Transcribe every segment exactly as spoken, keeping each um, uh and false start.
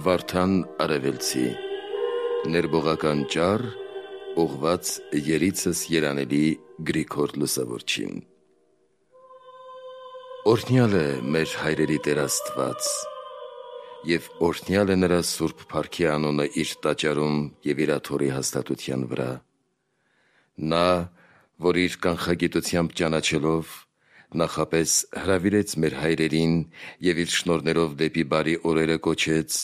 Վարդան Արևելցի Ներբողական ճառ ուղված երիցս երանելի Գրիգոր Լուսավորչին Օրհնյալ է մեր հայրերի Տեր Աստված և օրհնյալ է նրա սուրբ փառքի անունը իր տաճարում և իր աթոռի հաստատության վրա։ Նա, որ իր կանխագիտությամբ ճանաչելով, նախապես հրավիրեց մեր հայրերին և իր շնորհներով դեպի բարի օրերը կոչեց,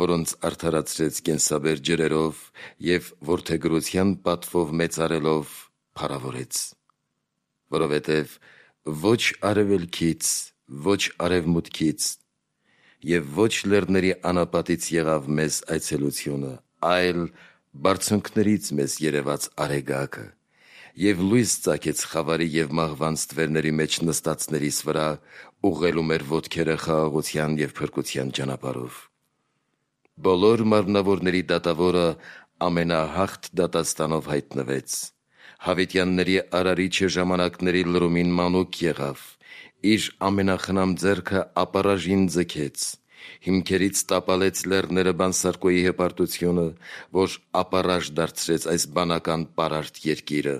որոնց արդարացրեց կենսաբեր ջրերով և որդեգրության պատվով մեծարելով փառավորեց։ Որովհետև ոչ արևելքից, ոչ արևմուտքից և ոչ լեռների անապատից եղավ մեզ այցելությունը, այլ բարձունքներից մեզ երևաց Արեգակը և լույս ծագեց խավարի և մահվան ստվերների մեջ նստածներիս վրա, ուղղելու մեր ոտքերը խաղաղության և փրկության ճանապարհով։ Բոլոր մարմնավորների դատավորը ամենահաղթ դատաստանով հայտնվեց։ Հավիտյանների Արարիչը ժամանակների լրումին մանուկ եղավ, իր ամենախնամ ձեռքը ապառաժին ձգեց, հիմքերից տապալեց լեռները Բանսարկոյի հպարտությունը, որ ապառաժ դարձրեց այս բանական պարարտ երկիրը,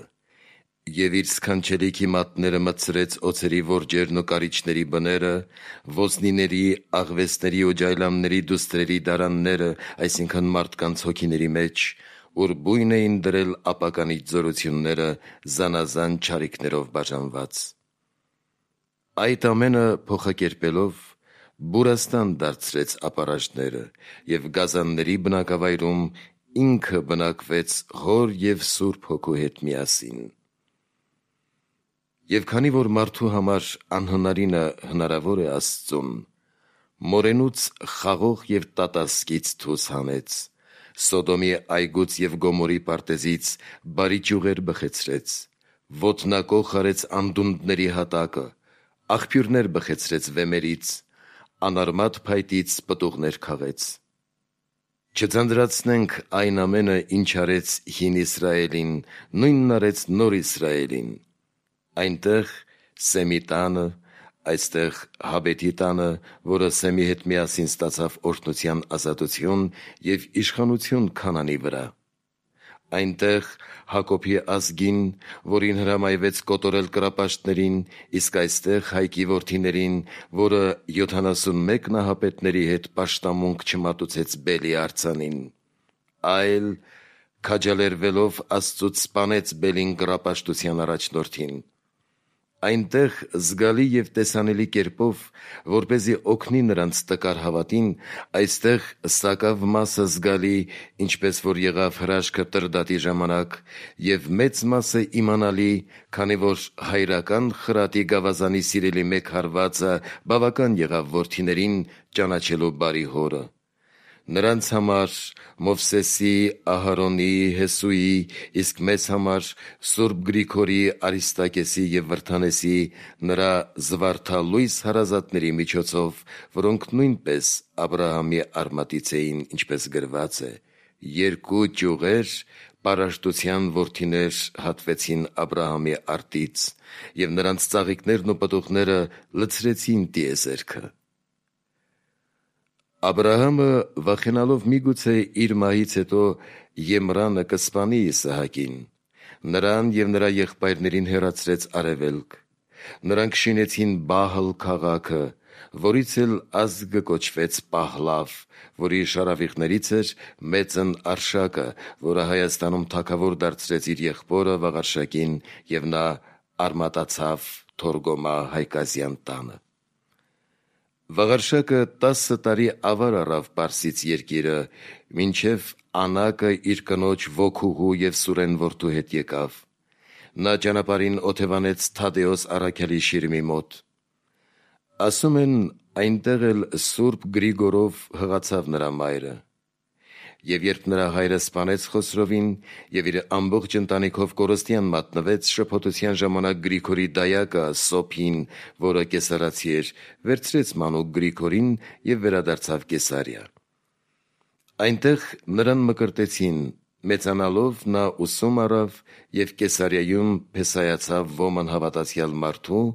և իր սքանչելիքի մատները մտցրեց օձերի որջերն ու կարիճների բները, ոզնիների, աղվեսների ու ջայլամների դուստրերի դարանները, այսինքն մարդկանց հոգիների մեջ, ուր բույն էին դրել ապականիչ զորությունները զանազան չարիքներով բաժանված։ Այդ ամենը փոխակերպելով բուրաստան դարձրեց ապառաժները և գազանների բնակավայրում ինքը բնակվեց Հոր և Սուրբ Հոգու հետ միասին։ Եվ քանի որ մարդու համար անհնարինը հնարավոր է Աստծուն, մորենուց խաղող և տատասկից թուս հանեց, Սոդոմի այգուց և Գոմորի պարտեզից բարի ճյուղեր բխեցրեց, ոտնակոխ արեց անդունդների հատակը, աղբյուրներ բխեցրեց վեմերից, անարմատ փայտից պտուղներ քաղեց։ Չձանձրացնենք այն ամենը, ինչ արեց հին Իսրայելին, նույնն արեց նոր Իսրայելին։ Այնտեղ Սեմի տանը, այստեղ Հաբետի տանը, որը Սեմի հետ միասին ստացավ օրհնության ազատություն և իշխանություն Քանանի վրա։ Այնտեղ Հակոբի ազգին, որին հրամայվեց կոտորել կռապաշտներին, իսկ այստեղ Հայկի որդիներին, որը յոթանասունմեկ նահապետների հետ պաշտամունք չմատուցեց Բելի արձանին, այլ քաջալերվելով Աստծուց սպանեց Բելին կռապաշտության առաջնորդին։ Այնտեղ զգալի և տեսանելի կերպով, որպեսզի օգնի նրանց տկար հավատին, այստեղ սակավ մասը զգալի, ինչպես որ եղավ հրաշքը Տրդատի ժամանակ, և մեծ մասը իմանալի, քանի որ հայրական խրատի գավազանի սիրելի մեկ հարվածը բավական եղավ որդիներին ճանաչելու բարի հորը։ Նրանց համար Մովսեսի, Ահարոնի, Հեսուի, իսկ մեզ համար Սուրբ Գրիգորի, Արիստակեսի և Վրդանեսի, նրա զվարթալույս հարազատների միջոցով, որոնք նույնպես Աբրահամի արմատից էին, ինչպես գրված է. երկու ճյուղեր, պարարտության որդիներ հատվեցին Աբրահամի արտից, և նրանց ծաղիկներն ու պտուղները լցրեցին տիեզերքը։ Աբրահամը վախենալով միգուցե իր մահից հետո Եմրանը կսպանի Իսահակին, նրան և նրա եղբայրներին հեռացրեց արևելք։ Նրանք շինեցին Բահլ քաղաքը, որից էլ ազգը կոչվեց Պահլավ, որի շարավիղներից էր Մեծն Արշակը, որը Հայաստանում թագավոր դարձրեց իր եղբորը Վաղարշակին, և նա արմատացավ Թորգոմա Հայկազյան տանը։ Վաղարշակը տասը տարի ավար առավ Պարսից երկիրը, մինչև Անակը իր կնոջ ոգուհու և Սուրեն որդու հետ եկավ։ Նա ճանապարհին օթևանեց Թադեոս առաքյալի շիրիմի մոտ։ Ասում են, այնտեղ էլ Սուրբ Գրիգորով հղացավ նրա մայրը։ Եվ երբ նրա հայրը սպանեց Խոսրովին և իր ամբողջ ընտանիքով կորստյան մատնվեց, շփոթության ժամանակ Գրիգորի դայակը Սոփին, որը կեսարացի էր, վերցրեց մանուկ Գրիգորին և վերադարձավ Կեսարիա։ Այնտեղ նրան մկրտեցին, մեծանալով նա ուսում առավ և Կեսարիայում փեսայացավ Ոման հավատացյալ մարդու,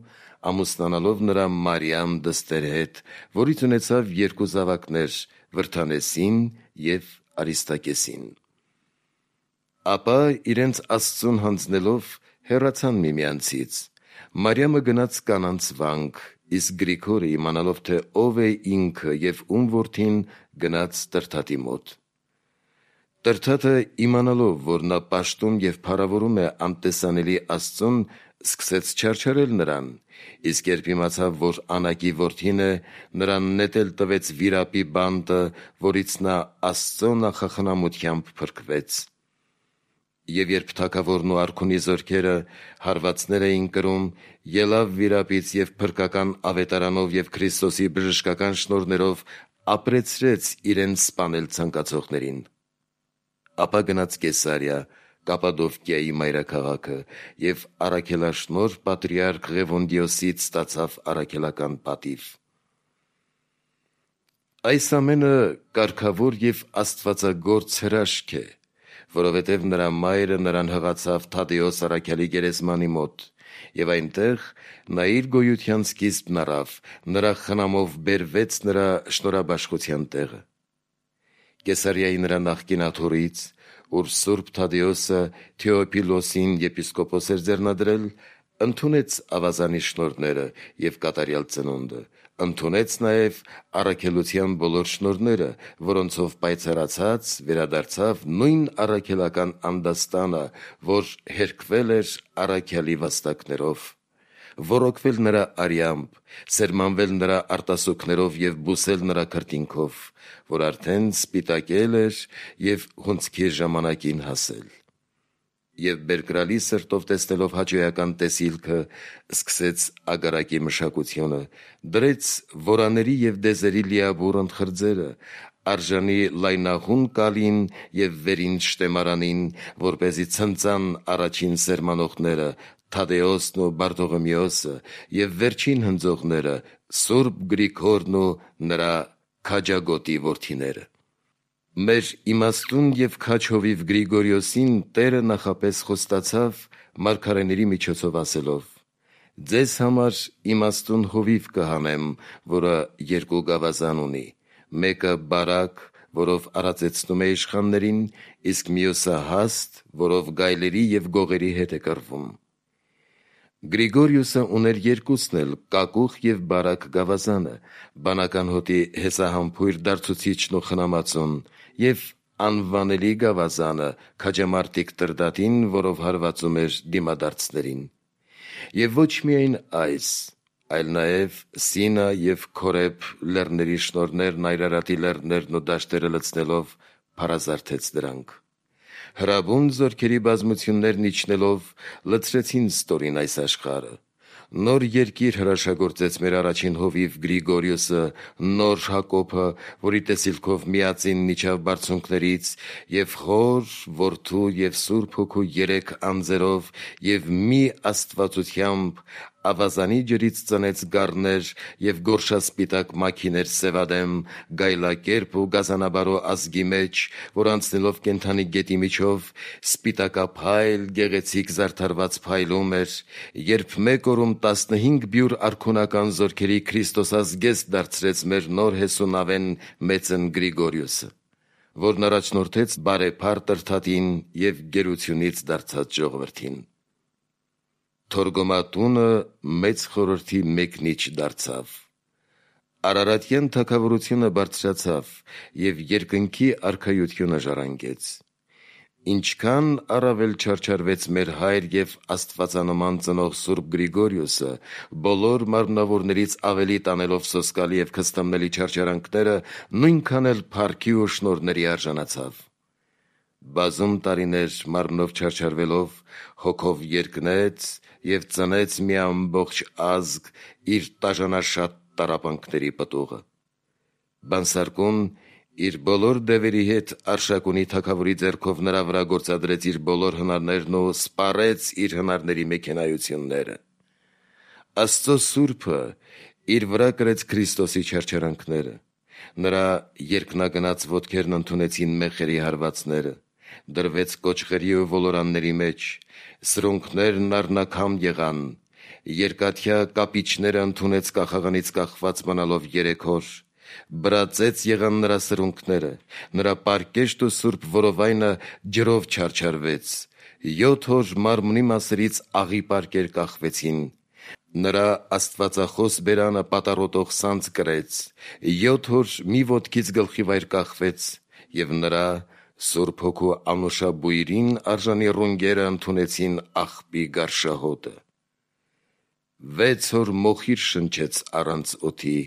ամուսնանալով նրա Մարիամ դստեր հետ, որից ունեցավ երկու զավակներ, Վրդանեսին և Արիստակեսին։ Ապա իրենց Աստծուն հանձնելով հեռացան միմյանցից։ Մարիամը գնաց կանանց վանք, իսկ Գրիգորը իմանալով, թե ով է ինքը և ում որդին, գնաց Տրդատի մոտ։ Տրդատը իմանալով, որ նա պաշտում և փառավորում է անտեսանելի Աստծուն, սկսեց չարչարել նրան, իսկ երբ իմացավ, որ Անակի որդին է, նրան նետել տվեց վիրապի բանտը, որից նա Աստծո նախախնամությամբ փրկվեց։ Եվ երբ թագավորն ու արքունի զորքերը հարվածներ էին կրում, ելավ վիրապից և փրկական ավետարանով և Քրիստոսի բժշկական շնորհներով ապրեցրեց իրեն սպանել ցանկացողներին։ Ապա գնաց Կեսարիա, Կապադովկիայի մայրաքաղաքը, և առաքելաշնորհ պատրիարք Ղևոնդիոսից ստացավ առաքելական պատիվ։ Այս ամենը կարգավոր և աստվածագործ հրաշք է, որովհետև նրա մայրը նրան հղացավ Թադեոս առաքյալի գերեզմանի մոտ, և այնտեղ նա իր գոյության սկիզբն առավ, նրա խնամով բերվեց նրա շնորհաբաշխության տեղը։ Կեսարիայի նրա նախկին աթոռից, ուր Սուրբ Թադեոսը Թեոփիլոսին եպիսկոպոս էր ձեռնադրել, ընդունեց ավազանի շնորհները և կատարյալ ծնունդը, ընդունեց նաև առաքելության բոլոր շնորհները, որոնցով պայծառացած վերադարձավ նույն առաքելական անդաստանը, որ հերկվել էր առաքյալի վաստակներով, ոռոգվել նրա արյամբ, սերմանվել նրա արտասուքներով և բուսել նրա քրտինքով, որ արդեն սպիտակել էր և հունձքի ժամանակին հասել։ Եվ բերկրալի սրտով տեսնելով հաճոյական տեսիլքը, սկսեց ագարակի մշակությունը, դրեց որաների և դեզերի լիաբուռ ընթխրձերը, արժանի լայնաղուն կալին և վերին շտեմարանին, որպեսզի ցնծան առաջին սերմանողները, Թադեոսն ու Բարտողոմեոսը, և վերջին հնձողները, Սուրբ Գրիգորն ու նրա քաջագոտի որդիները։ Մեր իմաստուն և քաջ հովիվ Գրիգորիոսին Տերը նախապես խոստացավ մարգարեների միջոցով ասելով. «Ձեզ համար իմաստուն հովիվ կհանեմ, որը երկու գավազան ունի, մեկը բարակ, որով արածեցնում է իշխաններին, իսկ մյուսը հաստ, որով գայլերի և գողերի հետ է կռվում»։ Գրիգորիոսը ուներ երկուսն էլ կակուղ և բարակ գավազանը, բանական հոտի հեսահամբույր դարձուցիչն ու խնամածուն, և անվանելի գավազանը, քաջամարտիկ Տրդատին, որով հարվածում էր դիմադարձներին։ Եվ ոչ միայն այս, այլ նաև Սինա և Քորեբ լեռների շնորհներն, Այրարատի լեռներն ու դաշտերը լցնելով փարազարթեց դրանք։ Հրաբուն զորքերի բազմություններն իջնելով լցրեցին ստորին այս աշխարհը։ Նոր երկիր հրաշագործեց մեր առաջին հովիվ Գրիգորիոսը, նոր Հակոբը, որի տեսիլքով միածինն իջավ բարձունքներից, և Հոր, Որդու և Սուրբ Հոգու երեք անձերով, և մի աստվածությամբ ավազանի ջրից ծնեց գառներ և գորշասպիտակ մաքիներ սևադեմ, գայլակերպ ու գազանաբարո ազգի մեջ, որ անցնելով կենդանի գետի միջով, սպիտակափայլ, գեղեցիկ զարդարված փայլում էր, երբ մեկ օրում տասնհինգ բյուր արքունական զորքերի Քրիստոսազգեստ դարձրեց մեր նոր հեսունավեն մեծն Գրիգորիոսը, որն առաջնորդեց բարեփառ Տրդատին և գերությունից դարձած ժողովրդին։ Թորգոմատունը մեծ խորհրդի մեկնիչ դարձավ։ Արարատյան թագավորությունը բարձրացավ և երկնքի արքայությունը ժառանգեց։ Ինչքան առավել չարչարվեց մեր հայր և աստվածանման ծնող Սուրբ Գրիգորիոսը, բոլոր մարմնավորներից ավելի տանելով սոսկալի և քստամնելի չարչարանքները, նույնքան էլ փառքի ու շնորհների արժանացավ։ Բազում տարիներ մարմնով չարչարվելով, հոգով երկնեց և ծնեց մի ամբողջ ազգ իր տաժանաշատ տառապանքների պտուղը։ Բանսարկուն իր բոլոր դևերի հետ Արշակունի թագավորի ձեռքով նրա վրա գործադրեց իր բոլոր հնարներն ու սպառեց իր հնարների մեքենայությունները։ Աստծո Սուրբը իր վրա կրեց Քրիստոսի չարչարանքները։ Նրա երկնագնաց ոտքերն ընդունեցին մեխերի հարվածները, դրվեց կոճղերի ու ոլորանների մեջ, սրունքներն առնաքամ եղան, երկաթյա կապիչները ընդունեց կախաղանից կախված մնալով երեք օր, բրածեց եղան նրա սրունքները, նրա պարկեշտ ու սուրբ որովայնը ջրով չարչարվեց, յոթ օր մարմնի մասերից աղի պարկեր կախվեցին, նրա աստվածախոս բերանը պատառոտող սանձ կրեց, յոթ օր մի ոտքից գլխի վայր կախվեց, և նրա Սուրբ Հոգու անուշաբույրին արժանի ռունգերը ընդունեցին աղբի գարշահոտը։ Վեց օր մոխիր շնչեց առանց օդի,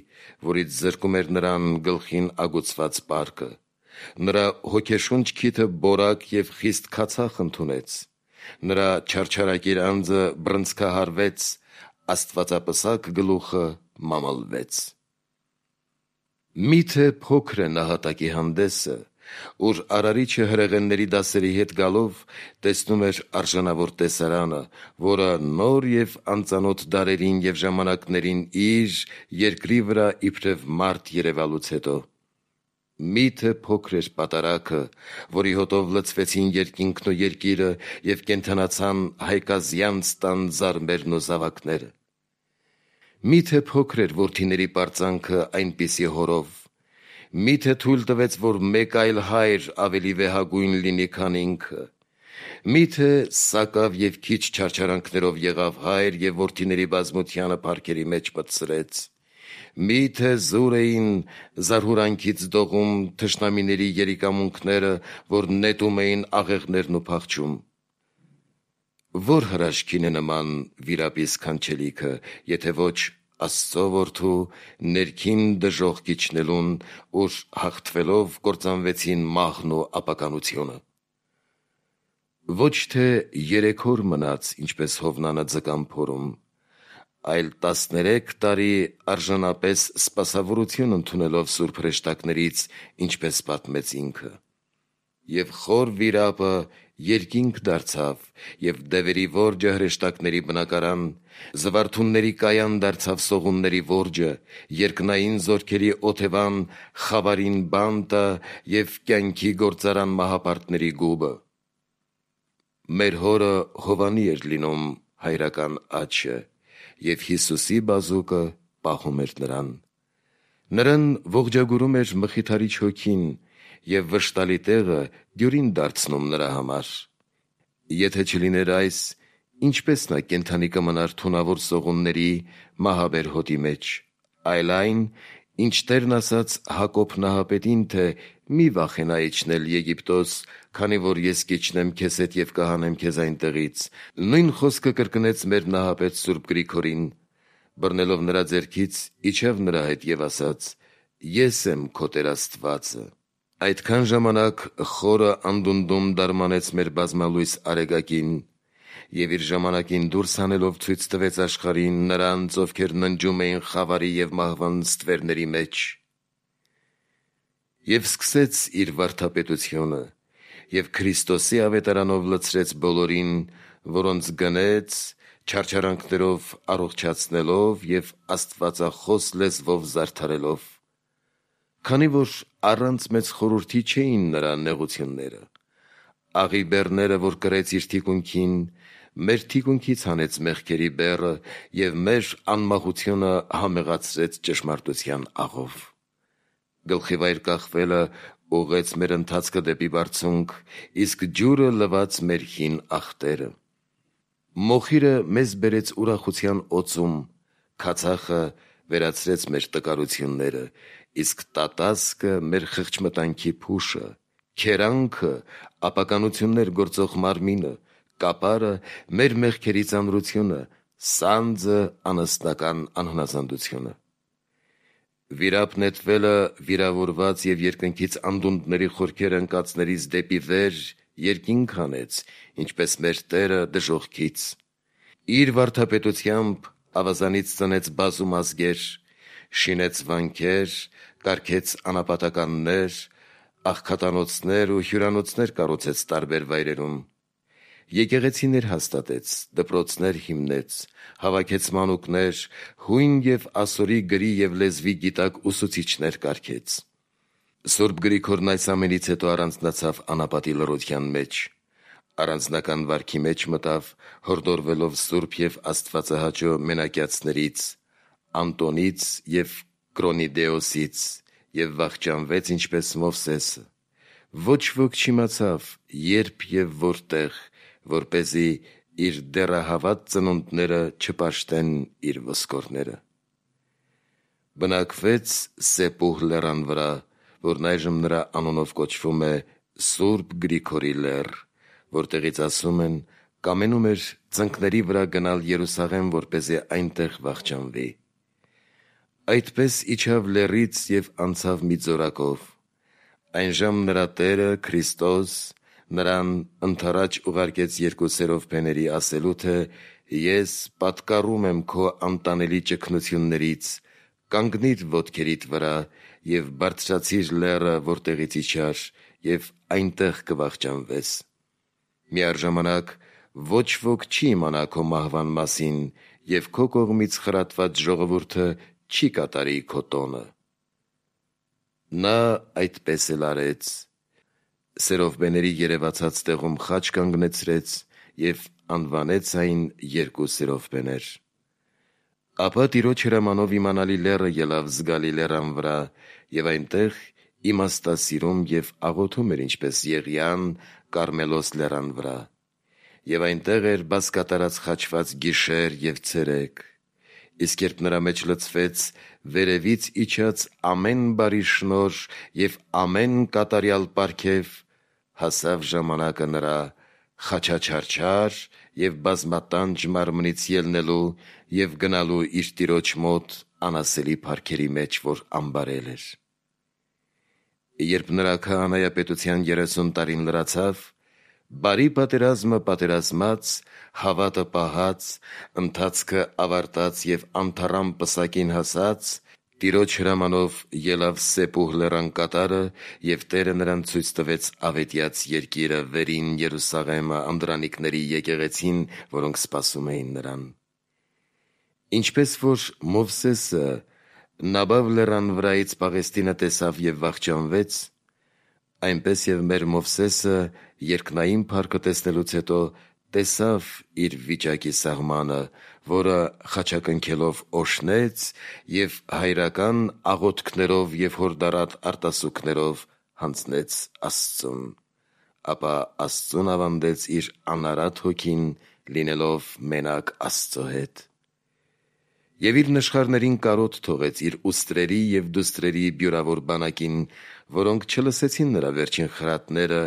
որից զրկում էր նրան գլխին ագուցված պարկը, նրա հոգեշունչ քիթը բորակ և խիստ քացախ ընդունեց, նրա չարչարակիր անձը բռնցքահարվեց, աստվածապսակ գլուխը մամլվեց։ Միթե փոքր է նահատակի հանդեսը, ուր արարիչը հրեղենների դասերի հետ գալով տեսնում էր արժանավոր տեսարանը, որը նոր և անծանոթ դարերին և ժամանակներին իր երկրի վրա իբրև մարդ երևալուց հետո։ Միթե փոքր էր պատարագը, որի հոտով լցվեցին երկինքն ու երկիրը և կենդանացան հայկազյանց տան զարմերն ու զավակները։ Միթե փոքր էր որդիների պարծանքը այնպիսի հորով, միթե թույլ տվեց, որ մեկ այլ հայր ավելի վեհագույն լինի, քան ինքը, միթե սակավ և քիչ չարչարանքներով եղավ հայր և որդիների բազմությանը փառքերի մեջ մտցրեց, միթե զուր էին զարհուրանքից դողում թշնամիների երիկամունքները, որ նետում էին աղեղներն ու փախչում։ Ո՞ր հրաշքին է նման վիրապի սքանչելիքը, եթե ոչ Աստծո որդու ներքին դժոխք իջնելուն, ուր հաղթվելով կործանվեցին մահն ու ապականությունը։ Ոչ թե երեք օր մնաց, ինչպես Հովնանը ձկան փորում, այլ տասներեք տարի արժանապես սպասավորություն ընդունելով սուրբ հրեշտակներից, ինչպես պատմեց ինքը։ Եվ խոր վիրապը երկինք դարձավ, և դևերի որջը հրեշտակների բնակարան, զվարթունների կայան դարձավ սողունների որջը, երկնային զորքերի օթևան խավարին բանտը և կյանքի գործարան մահապարտների գուբը։ Մեր հորը Հովանի էր լինում հայրական աջը, և Հիսուսի բազուկը պահում էր նրան։ Նրան ողջագուրում էր Մխիթարիչ Հոգին, և վշտալի տեղը դյուրին դարձնում նրա համար։ Եթե չլիներ այս, ինչպե՞ս նա կենդանի կմնար թունավոր սողունների մահաբեր հոտի մեջ, այլ այն, ինչ Տերն ասաց Հակոբ նահապետին, թե «Մի վախենա իջնել Եգիպտոս, քանի որ ես կիջնեմ քեզ հետ և կհանեմ քեզ այնտեղից», նույն խոսքը կրկնեց մեր նահապետ Սուրբ Գրիգորին, բռնելով նրա ձեռքից, իջավ նրա հետ և ասաց. «Ես եմ քո Տեր Աստվածը»։ Այդքան ժամանակ խորը անդունդում դարմանեց մեր բազմալույս Արեգակին, և իր ժամանակին դուրս հանելով ցույց տվեց աշխարհին նրանց, ովքեր ննջում էին խավարի և մահվան ստվերների մեջ։ Եվ սկսեց իր վարդապետությունը, և Քրիստոսի ավետարանով լցրեց բոլորին, որոնց գնեց, չարչարանքներով առողջացնելով և աստվածախոս լեզվով զարդարելով, քանի որ առանց մեծ խորհրդի չէին նրա նեղությունները։ Աղի բեռները, որ կրեց իր թիկունքին, մեր թիկունքից հանեց մեղքերի բեռը և մեր անմախությունը համեղացրեց ճշմարտության աղով։ Գլխի վայր կախվելը ուղղեց մեր ընթացքը դեպի բարձունք, իսկ ջուրը լվաց մեր հին ախտերը։ Մոխիրը մեզ բերեց ուրախության օծում, քացախը վերացրեց մեր տկարությունները, իսկ տատասկը մեր խղճմտանքի փուշը, քերանքը ապականություններ գործող մարմինը, կապարը մեր մեղքերի ծանրությունը, սանձը անասնական անհնազանդությունը։ Վիրապ նետվելը վիրավորված և երկնքից անդունդների խորքեր ընկածներից դեպի վեր երկինք հանեց, ինչպես մեր Տերը դժոխքից։ Իր վարդապետությամբ ավազանից ծնեց բազում ազգեր, շինեց վանքեր, կարգեց անապատականներ, աղքատանոցներ ու հյուրանոցներ կառուցեց տարբեր վայրերում, եկեղեցիներ հաստատեց, դպրոցներ հիմնեց, հավաքեց մանուկներ, հույն և ասորի գրի և լեզվի գիտակ ուսուցիչներ կարգեց։ Սուրբ Գրիգորն այս ամենից հետո առանձնացավ անապատի լռության մեջ, առանձնական վարքի մեջ մտավ, հորդորվելով սուրբ և աստվածահաճո մենակյացներից՝ Անտոնից և Կրոնիդեոսից և վախճանվեց ինչպես Մովսեսը։ Ոչ ոք չիմացավ երբ և որտեղ, որպեսզի իր դեռահավատ ծնունդները չպաշտեն իր ոսկորները։ Բնակվեց Սեպուհ լեռան վրա, որն այժմ նրա անունով կոչվում է Սուրբ Գրիգորի լեռ, որտեղից ասում են, կամենում էր ծնկների վրա գնալ Երուսաղեմ, որպեսզի այնտեղ վախճանվի։ Այդպես իջավ լեռից և անցավ մի ձորակով։ Այնժամ նրա Տերը Քրիստոս նրան ընդառաջ ուղարկեց երկու սերովբեների ասելու, թե «Ես պատկառում եմ քո անտանելի ճգնություններից, կանգնիր ոտքերիդ վրա և բարձրացիր լեռը, որտեղից իջար, և այնտեղ կվախճանվես։ Միառժամանակ ոչ ոք չի իմանա քո մահվան մասին, և քո կողմից խրատված ժողովուրդը չի կատարի քո տոնը»։ Նա այդպես էլ արեց։ Սերովբեների երևացած տեղում խաչ կանգնեցրեց և անվանեց այն երկու սերովբեներ։ Ապա Տիրոջ հրամանով իմանալի լեռը ելավ զգալի լեռան վրա, և այնտեղ իմաստասիրում և աղոթում էր ինչպես Եղիան Կարմելոս լեռան վրա, և այնտեղ էր բազկատարած խաչված գիշեր և ցերեկ։ Իսկ երբ նրա մեջ լցվեց վերևից իջած ամեն բարի շնորհ և ամեն կատարյալ պարգև, հասավ ժամանակը նրա խաչաչարչար և բազմատանջ մարմնից ելնելու և գնալու իր Տիրոջ մոտ անասելի փառքերի մեջ, որ ամբարել էր։ Երբ նրա քահանայապետության երեսուն տարին լրացավ, բարի պատերազմը պատերազմած, հավատը պահած, ընթացքը ավարտած և անթառամ պսակին հասած, Տիրոջ հրամանով ելավ Սեպուհ լեռան կատարը, և Տերը նրան ցույց տվեց Ավետյաց երկիրը, վերին Երուսաղեմը, անդրանիկների եկեղեցին, որոնք սպասում էին նրան։ Ինչպես որ Մովսեսը Նաբավ լեռան վրայից Պաղեստինը տեսավ և վախճանվեց, այնպես և մեր Մովսեսը երկնային փառքը տեսնելուց հետո տեսավ իր վիճակի սաղմանը, որը խաչակնքելով օժնեց և հայրական աղոթքներով և հորդառատ արտասուքներով հանձնեց Աստծուն, ապա Աստծուն ավանդեց իր անարատ հոգին, լինելով մենակ Աստծո հետ։ Եվ իր նշխարներին կարոտ թողեց իր ուստրերի և դուստրերի բյուրավոր բանակին, որոնք չլսեցին նրա վերջին խրատները,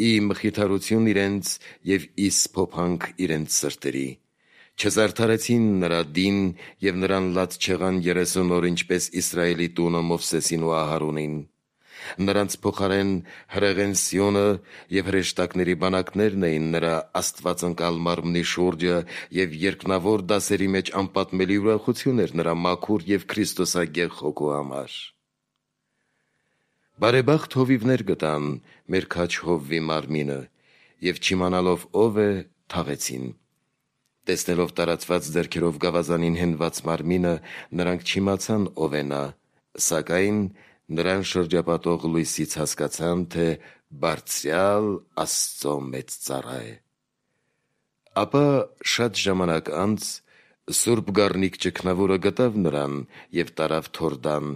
ի մխիթարություն իրենց և ի սփոփանք իրենց սրտերի, չզարդարեցին նրա դին և նրան լաց չեղան երեսուն օր, ինչպես Իսրայելի տունը Մովսեսին ու Ահարոնին։ Նրանց փոխարեն հրեղեն Սիոնը և հրեշտակների բանակներն էին նրա աստվածընկալ մարմնի շուրջը, և երկնավոր դասերի մեջ անպատմելի ուրախություն էր նրա մաքուր և քրիստոսագեղ հոգու համար։ Բարեբախտ հովիվներ գտան մեր քաչ հովվի մարմինը, և չիմանալով ով է, թաղեցին։ Տեսնելով տարածված ձեռքերով գավազանին հենված մարմինը, նրանք չիմացան ով է նա, սակայն նրան շրջապատող լույսից հասկացան, թե Բարձրյալ Աստծո մեծ ծառա է։ Ապա շատ ժամանակ անց Սուրբ Գառնիկ Ճգնավորը գտավ նրան և տարավ Թորդան։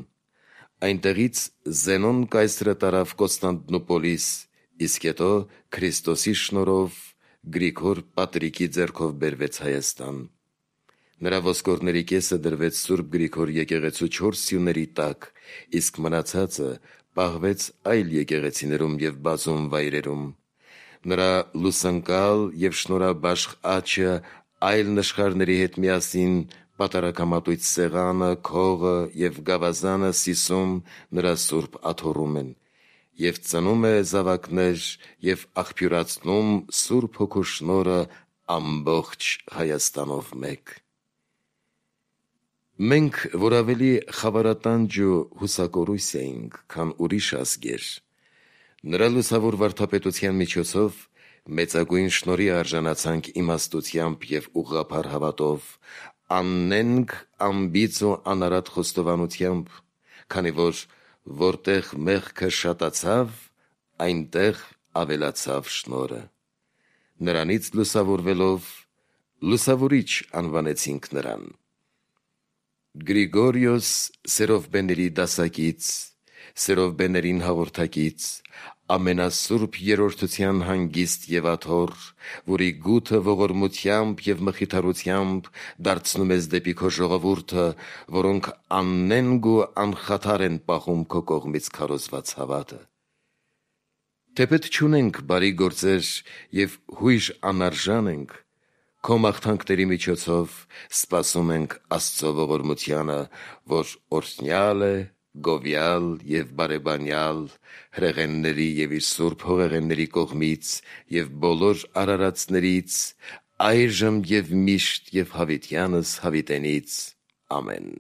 Այնտեղից Զենոն կայսրը տարավ Կոստանդնուպոլիս, իսկ հետո Քրիստոսի շնորհով Գրիգոր Պատրիկի ձեռքով բերվեց Հայաստան։ Նրա ոսկորների կեսը դրվեց Սուրբ Գրիգոր եկեղեցու չորս սյուների տակ, իսկ մնացածը պահվեց այլ եկեղեցիներում և բազում վայրերում։ Նրա լուսանկալ և շնորհաբաշխ աչքը այլ նշխարների հետ միասին պատարագամատույց սեղանը, քողը և գավազանը Սիսում նրա սուրբ աթոռում են, և ծնում է զավակներ և աղբյուրացնում Սուրբ Հոգու շնորհը ամբողջ Հայաստանով մեկ։ Մենք, որ ավելի խավարատանջ ու հուսակորույս էինք, քան ուրիշ ազգեր, նրա լուսավոր վարդապետության միջոցով մեծագույն շնորհի արժանացանք իմաստությամբ և ուղղափառ հավատով, աննենգ անբիծ ու անարատ խոստովանությամբ, քանի որ որտեղ մեղքը շատացավ, այնտեղ ավելացավ շնորհը։ Նրանից լուսավորվելով լուսավորիչ անվանեցինք նրան։ Գրիգորիոս սերովբեների դասակից, սերով բեներին հաղորդակից, ամենասուրբ երրորդության հանգիստ եւ աթոռ, որի գութը ողորմությամբ եւ մխիթարությամբ դարձնում ես դեպի քո ժողովուրդը, որոնք աննենգ ու անխաթար են պահում քո կողմից քարոզված հավատը։ Թեպետ չունենք բարի գործեր եւ հույժ անարժան ենք, քո մաղթանքների միջոցով սպասում ենք Աստծո ողորմությանը, որ օրհնյալ է, գովյալ եւ բարեբանյալ, հրեղենների եւ իր սուրբ հողեղենների կողմից եւ բոլոր արարածներից, այժմ եւ միշտ եւ հավիտյանս հավիտենից։ Ամեն։